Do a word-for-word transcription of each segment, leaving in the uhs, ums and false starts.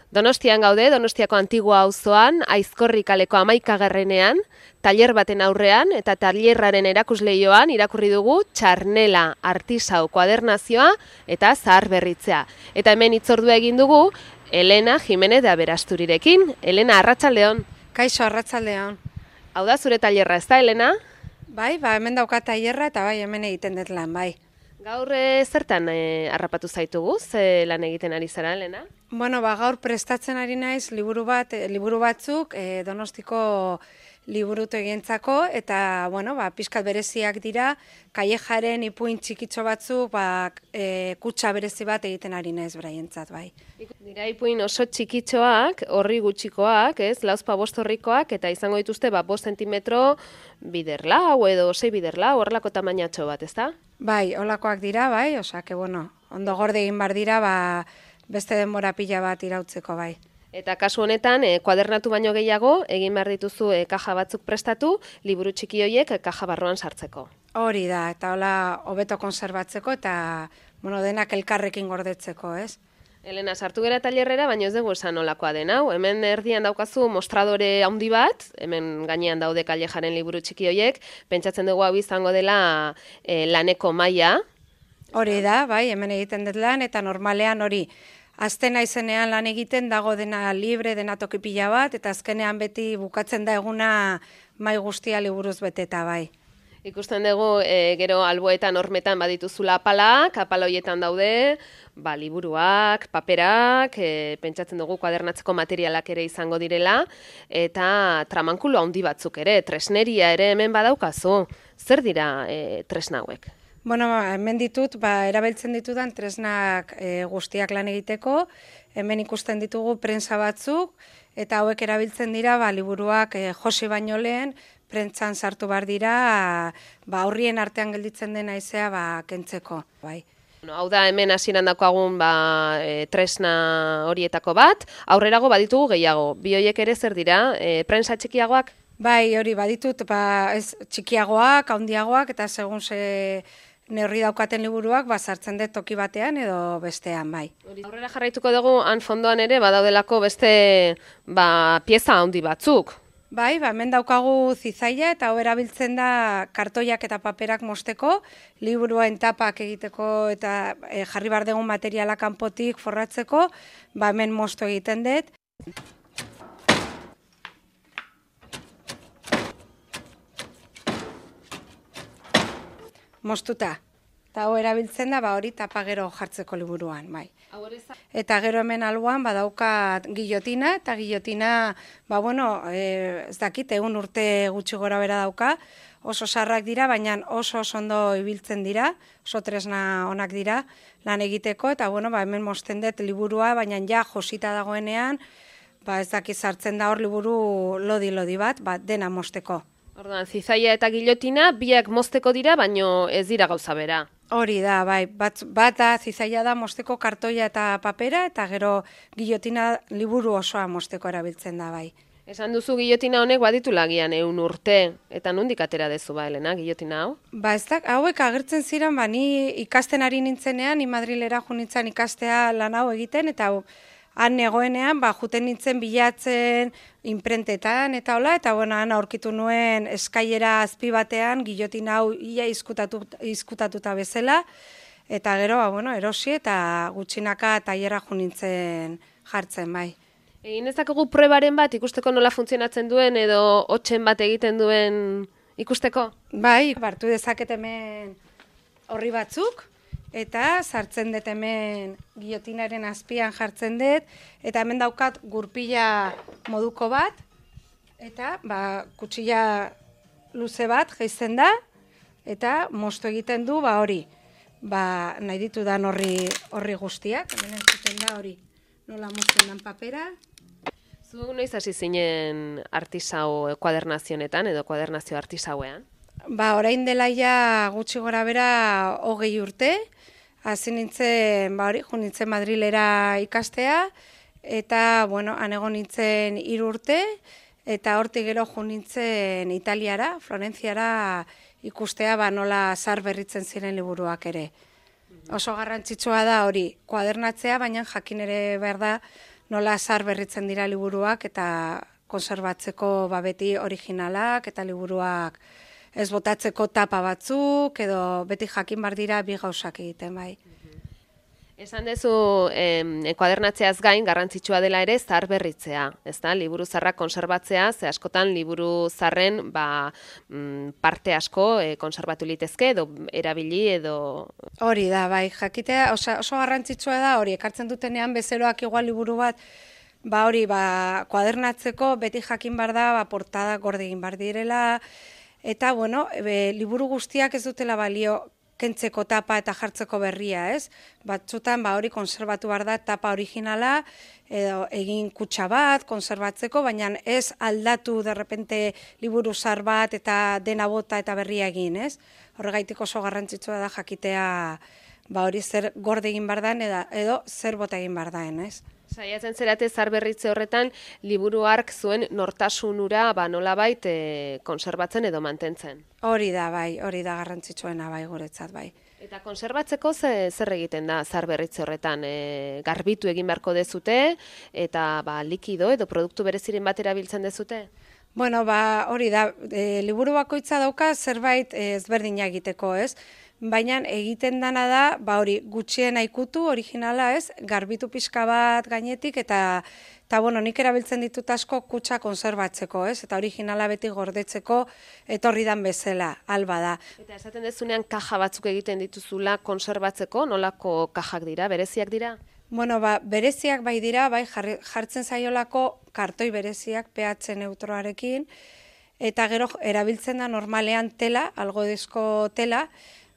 Donostian gaude, Donostiako Antigua auzoan, Aizkorri kaleko hamaikagarrenean, tailer baten aurrean eta tailerraren erakusleioan irakurri dugu Txarnela artisau kuadernazioa eta zaharberritzea. Eta hemen hitzordua egin dugu Elena Jimenez de Aberasturirekin. Elena, arratsaldeon. Kaixo, arratsaldeon. Hau da zure tailerra, ez da, Elena? Bai, ba, hemen dauka tailerra eta bai, hemen egiten dut lan, bai. Gaur e, zertan e, harrapatu zaitugu, ze lan egiten ari zara, Elena? Bueno, ba, gaur prestatzen ari naiz liburu bat, e, liburu batzuk e, Donostiko liburutegientzako eta bueno, ba, pixkat bereziak dira, Kallejaren ipuin txikitxo batzuk, ba, e, kutxa berezi bat egiten ari naiz beraientzat, bai. Dira ipuin oso txikitxoak, horri gutxikoak, ez, lauzpa bost horrikoak, eta izango dituzte ba, bost zentimetro biderlau edo sei biderlau, horrelako tamainatxo bat, ez da? Bai, holakoak dira, bai, osea, que bueno, ondo gorde egin bar dira, ba, beste denbora pila bat irautzeko, bai. Eta kasu honetan, e, kuadernatu baino gehiago, egin behar dituzu e, kaja batzuk prestatu, liburu txiki horiek e, kaja barruan sartzeko. Hori da, eta hola hobeto konserbatzeko eta bueno, denak elkarrekin gordetzeko, ez? Elena, sartu gera tailerrera, baina ez dugu esan nolakoa den hau. Hemen erdian daukazu mostradore handi bat, hemen gainean daude Kallejaren liburu txiki horiek, pentsatzen dugu hau izango dela e, laneko maila. Hori da, bai, hemen egiten dut lan, eta normalean hori, azten naizenean lan egiten dago dena libre, dena toki pila bat, eta azkenean beti bukatzen da eguna mai guztia liburuz beteta, bai. Ikusten dugu e, gero alboetan hormetan badituzula apalak, apal horietan daude, ba, liburuak, paperak, e, pentsatzen dugu kuadernatzeko materialak ere izango direla, eta tramankulu handi batzuk ere, tresneria ere hemen badaukazu. Zer dira e, tresna hauek? Bueno, hemen ditut, ba, erabiltzen ditudan tresnak e, guztiak lan egiteko, hemen ikusten ditugu prensa batzuk, eta hauek erabiltzen dira, ba, liburuak e, josi baino lehen, prentsan sartu bar dira, ba, aurrien artean gelditzen dena izea, ba, kentzeko, bai. Bueno, hau da hemen hasieran daukagun ba, e, tresna horietako bat, aurrerago baditugu gehiago, bi horiek ere zer dira, e, prensa txikiagoak? Bai, hori baditut, ba, ez txikiagoak, handiagoak, eta segun ze neurri daukaten liburuak, ba, sartzen dut toki batean edo bestean, bai. Aurrera jarraituko dugu, han fondoan ere, badaudelako beste ba, pieza handi batzuk. Bai, ba, hemen daukagu zizaia eta hau erabiltzen da kartoiak eta paperak mosteko, liburuen tapak egiteko eta e, jarri bar dugun materiala kanpotik forratzeko, ba, hemen mosto egiten dut. Mostuta. Eta hau erabiltzen da, ba, hori tapa gero jartzeko liburuan, bai. Eta gero hemen alboan badaukat gilotina, eta gilotina, ba, bueno, e, ez dakit, egun urte gutxi gora bera dauka, oso sarrak dira, baina oso oso ondo ibiltzen dira, oso tresna onak dira lan egiteko, eta bueno, ba, hemen mosten dut liburua, baina ja josita dagoenean, ba, ez dakit sartzen da hor liburu lodi-lodi bat, ba, dena mosteko. Orduan, zizaia eta gilotina biak mozteko dira, baino ez dira gauza bera. Hori da, bai, bat, bat da, zizaia da mosteko kartoia eta papera, eta gero gilotina liburu osoa mosteko erabiltzen da, bai. Esan duzu gilotina honek baditu lagian eun urte, eta nondik atera dezu ba, Elena, gilotina hau? Ba, ez da, hauek agertzen ziren, ba, ni ikasten ari nintzenean, ni Madrilera jo nintzen ikastea lan hau egiten, eta hau, han negoenean, ba, juten nintzen bilatzen, imprentetan eta hola, eta bueno, han aurkitu nuen eskailera azpi batean, gilotina hau ia izkutatu, izkutatuta bezala, eta gero, ba, bueno, erosi eta gutxinaka tailerra jo nintzen jartzen, bai. Egin ezakegu prebaren bat ikusteko nola funtzionatzen duen edo hotsen bat egiten duen ikusteko? Bai, hartu dezaket hemen horri batzuk, eta sartzen dut hemen gilotinaren azpian jartzen dut, eta hemen daukat gurpila moduko bat, eta ba, kutsilla luze bat jaisten da, eta mosto egiten du ba hori, ba, nahi ditudan horri, horri guztiak, hemen entzuten da hori, nola mozten dan papera. Zu noiz hasi zinen artisau kuadernazionetan edo kuadernazio artisauean? Ba, orain dela ja gutxi gora bera hogei urte, hasi nintzen, ba hori, jo nintzen Madrilera ikastea, eta, bueno, han egon nintzen hiru urte, eta hortik gero jo nintzen Italiara, Florentziara ikustea, ba nola zaharberritzen ziren liburuak ere. Oso garrantzitsua da hori, kuadernatzea, baina jakin ere behar da, nola zahar berritzen dira liburuak eta konserbatzeko ba, beti originalak eta liburuak ez botatzeko tapa batzuk edo beti jakin bar dira bi gauzak egiten bai. Esan dezu, eh, kuadernatzeaz gain garrantzitsua dela ere zahar berritzea, ezta? Liburu zaharrak konserbatzea, ze askotan liburu zaharren ba, mm, parte asko eh, konserbatu litezke edo erabili edo... Hori da, bai, jakitea oso, oso garrantzitsua da, hori ekartzen dutenean bezeroak igual liburu bat, ba hori, ba, kuadernatzeko beti jakin bar da, ba, portada gorde egin bar direla, eta, bueno, be, liburu guztiak ez dutela balio kentzeko tapa eta jartzeko berria, ez? Batzutan, ba, hori konserbatu behar da tapa originala, edo egin kutxa bat, konserbatzeko, baina ez aldatu derrepente liburu zahar bat eta dena bota eta berria egin, ez? Horregaitik oso garrantzitsua da jakitea, ba, hori zer gorde egin behar den, edo, edo zer bota egin behar den, ez? Saiatzen zerate zahar berritze horretan, liburu hark zuen nortasunura ba, nolabait e, konserbatzen edo mantentzen. Hori da, bai, hori da garrantzitsuena, bai, guretzat, bai. Eta konserbatzeko ze, zer egiten da zahar berritze horretan? E, garbitu egin beharko dezute eta ba, likido edo produktu bereziren bat erabiltzen dezute? Bueno, ba, hori da, e, liburu bakoitza dauka zerbait e, ezberdina egiteko, ez? Baina egiten dana da, ba hori, gutxien ikutu originala, ez? Garbitu pixka bat gainetik eta eta bueno, nik erabiltzen ditut asko kutxa konserbatzeko, ez? Eta originala beti gordetzeko etorri dan bezala, alba da. Eta esaten dezunean kaja batzuk egiten dituzula konserbatzeko, nolako kajak dira, bereziak dira? Bueno, ba, bereziak bai dira, bai jartzen zaiolako kartoi bereziak pH neutroarekin, eta gero erabiltzen da normalean tela, algodezko tela,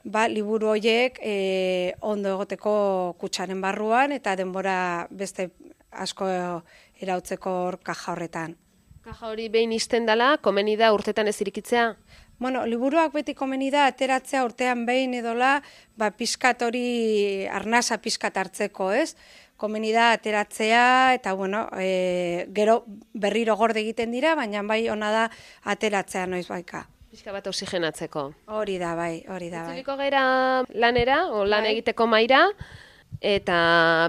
ba, liburu horiek e, ondo egoteko kutxaren barruan eta denbora beste asko irautzeko kaja horretan. Kaja hori behin isten dela, komeni da urtetan ez irikitzea? Bueno, liburuak beti komeni da ateratzea urtean behin edola, ba, pixkat hori arnasa pixkat hartzeko, ez? Komeni da ateratzea eta, bueno, e, gero berriro gorde egiten dira, baina bai ona da ateratzea noiz baika. Pixka bat oxigenatzeko. Hori da, bai, hori da, bai. Itzuliko gera lanera, o lan bai. Egiteko maira, eta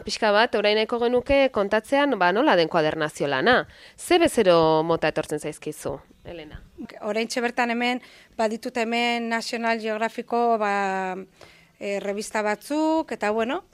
pixka bat, orain nahiko genuke kontatzean, ba, nola den kuadernazio lana. Ze bezero mota etortzen zaizkizu, Elena? Orain bertan hemen, baditut hemen National Geographico ba, e, revista batzuk, eta bueno,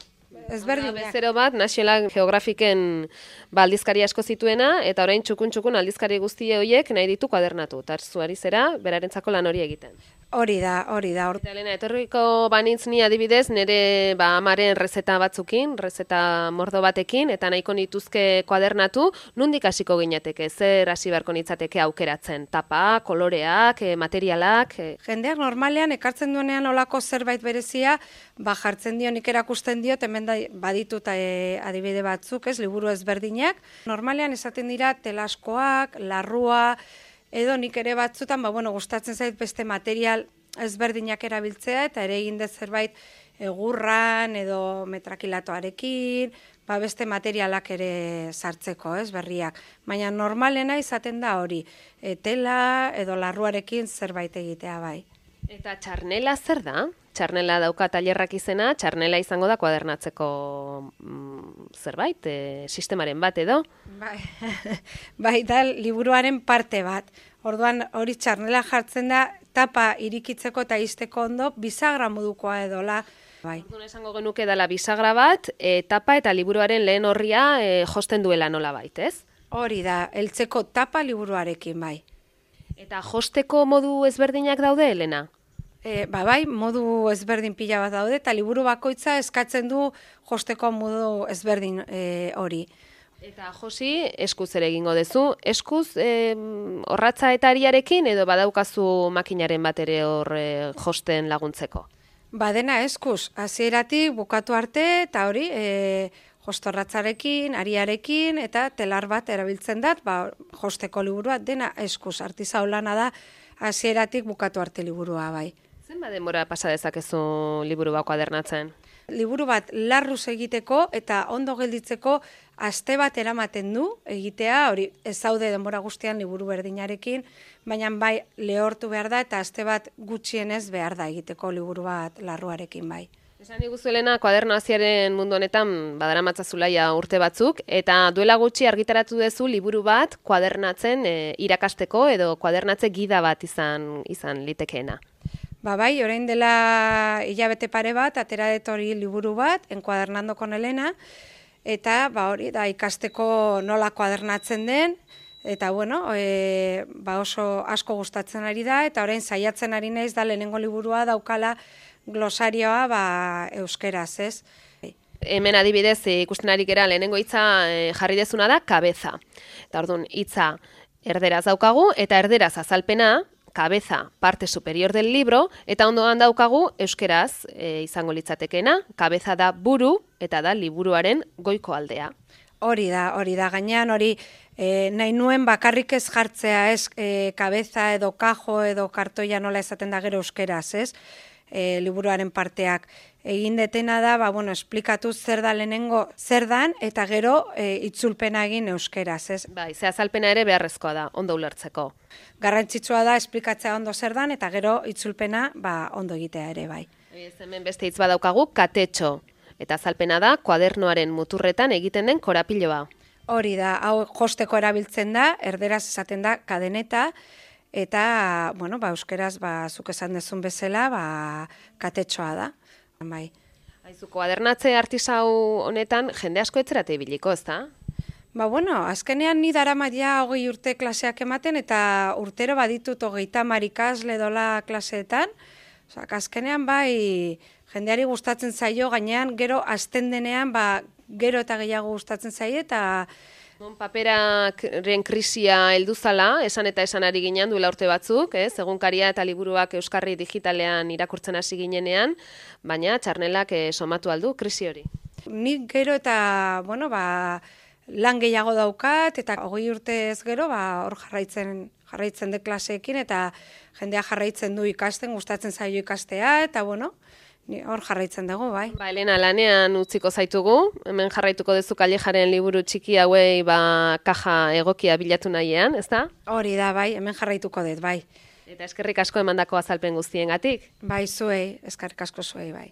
ezberdin. Bezero bat, National Geographicken ba, aldizkari asko zituena, eta orain txukun-txukun aldizkari guztie horiek nahi ditu kuadernatu. Eta zuari zera, berarentzako lan hori egiten. Hori da, hori da. Eta Elena, etorriko banintz ni adibidez, nire ba, amaren rezeta batzukin, rezeta mordo batekin, eta nahiko nituzke kuadernatu, nondik hasiko ginateke, zer hasi beharko nitzateke aukeratzen? Tapa, koloreak, e, materialak? E... Jendeak normalean ekartzen duenean olako zerbait berezia, ba, jartzen dio, nik erakusten diot, hemen da, baditut e, adibide batzuk, ez, liburu ezberdinak. Normalean esaten dira telaskoak, larrua, edo nik ere batzutan, ba, bueno, gustatzen zait beste material ezberdinak erabiltzea, eta ere egin dut zerbait egurran edo metrakilatoarekin, ba, beste materialak ere sartzeko, ez, berriak. Baina normalena izaten da hori, e, tela edo larruarekin zerbait egitea bai. Eta txarnela zer da? Txarnela dauka tailerrak izena, txarnela izango da kuadernatzeko mm, zerbait, e, sistemaren bat edo? Bai, bai, da liburuaren parte bat. Orduan hori txarnela jartzen da tapa irikitzeko eta izteko ondo bisagra modukoa edola. Bai. Orduan esango genuke dela bisagra bat, e, tapa eta liburuaren lehen horria e, josten duela nola bait, ez? Hori da, heltzeko tapa liburuarekin bai. Eta josteko modu ezberdinak daude, Elena? E, ba bai, modu ezberdin pila bat daude, eta liburu bakoitza eskatzen du josteko modu ezberdin e, hori. Eta Josi, eskuz ere egingo duzu, eskuz e, orratza eta ariarekin edo badaukazu makinaren bat ere hor e, josten laguntzeko? Ba dena eskuz, hasieratik bukatu arte eta hori e, jostorratzarekin, ariarekin eta telar bat erabiltzen dat, ba, josteko liburua dena eskuz, artizau lana da hasieratik bukatu arte liburua bai. Zenba denbora pasa dezakezu liburu bat kuadernatzen? Liburu bat larruz egiteko eta ondo gelditzeko aste bat eramaten du egitea, hori ez zaude denbora guztian liburu berdinarekin, baina bai lehortu behar da eta aste bat gutxienez behar da egiteko liburu bat larruarekin bai. Esan iguzu Elena, kuadernazioaren mundu honetan badaramatza urte batzuk, eta duela gutxi argitaratu duzu liburu bat kuadernatzen e, irakasteko edo kuadernatze gida bat izan izan litekeena. Ba bai, orain dela hilabete pare bat, atera dut hori liburu bat, Enkuadernando con Elena, eta ba hori da ikasteko nola kuadernatzen den, eta bueno, e, ba oso asko gustatzen ari da, eta orain saiatzen ari naiz da lehenengo liburua daukala glosarioa ba, euskeraz, ez? Hemen adibidez ikusten ari gera lehenengo hitza e, jarri dezuna da kabeza. Eta orduan hitza erderaz daukagu eta erderaz azalpena, kabeza parte superior del libro, eta ondoan daukagu euskeraz e, izango litzatekena, kabeza da buru eta da liburuaren goiko aldea. Hori da, hori da, gainean hori e, nahi nuen bakarrik ez jartzea, ez, e, kabeza edo kajo edo kartoia nola esaten da gero euskeraz, ez? E, liburuaren parteak egin detena da, ba, bueno, esplikatu zer da lehenengo zer dan, eta gero e, itzulpena egin euskeraz, ez? Bai, ze azalpena ere beharrezkoa da, ondo ulertzeko. Garrantzitsua da esplikatzea ondo zer dan, eta gero itzulpena ba, ondo egitea ere, bai. Ez hemen beste hitz badaukagu, katetxo, eta azalpena da kuadernoaren muturretan egiten den korapiloa. Hori da, hau josteko erabiltzen da, erderaz esaten da kadeneta, eta, bueno, ba, euskeraz, ba, zuk esan dezun bezala, ba, katetxoa da, bai. Aizu, kuadernatze artisau honetan jende asko etzerate ibiliko, ez da? Ba, bueno, azkenean ni daramat ja hogei urte klaseak ematen, eta urtero baditut hogeita hamar ikasle dola klaseetan, osak, azkenean bai, jendeari gustatzen zaio, gainean gero azten denean, ba, gero eta gehiago gustatzen zaio, eta Bon, paperaren krisia heldu zala, esan eta esan ari ginen duela urte batzuk, ez? Egunkaria eta liburuak euskarri digitalean irakurtzen hasi ginenean, baina txarnelak eh, somatu aldu krisi hori. Nik gero eta, bueno, ba, lan gehiago daukat, eta hogei urtez gero, ba, hor jarraitzen, jarraitzen de klaseekin, eta jendea jarraitzen du ikasten, gustatzen zaio ikastea, eta bueno, hor jarraitzen dugu, bai. Ba, Elena, lanean utziko zaitugu, hemen jarraituko duzu Kallejaren liburu txiki hauei ba, kaja egokia bilatu nahiean, ez da? Hori da, bai, hemen jarraituko dut, bai. Eta eskerrik asko emandako azalpen guztiengatik. Bai, zuei, eskerrik asko zuei, bai.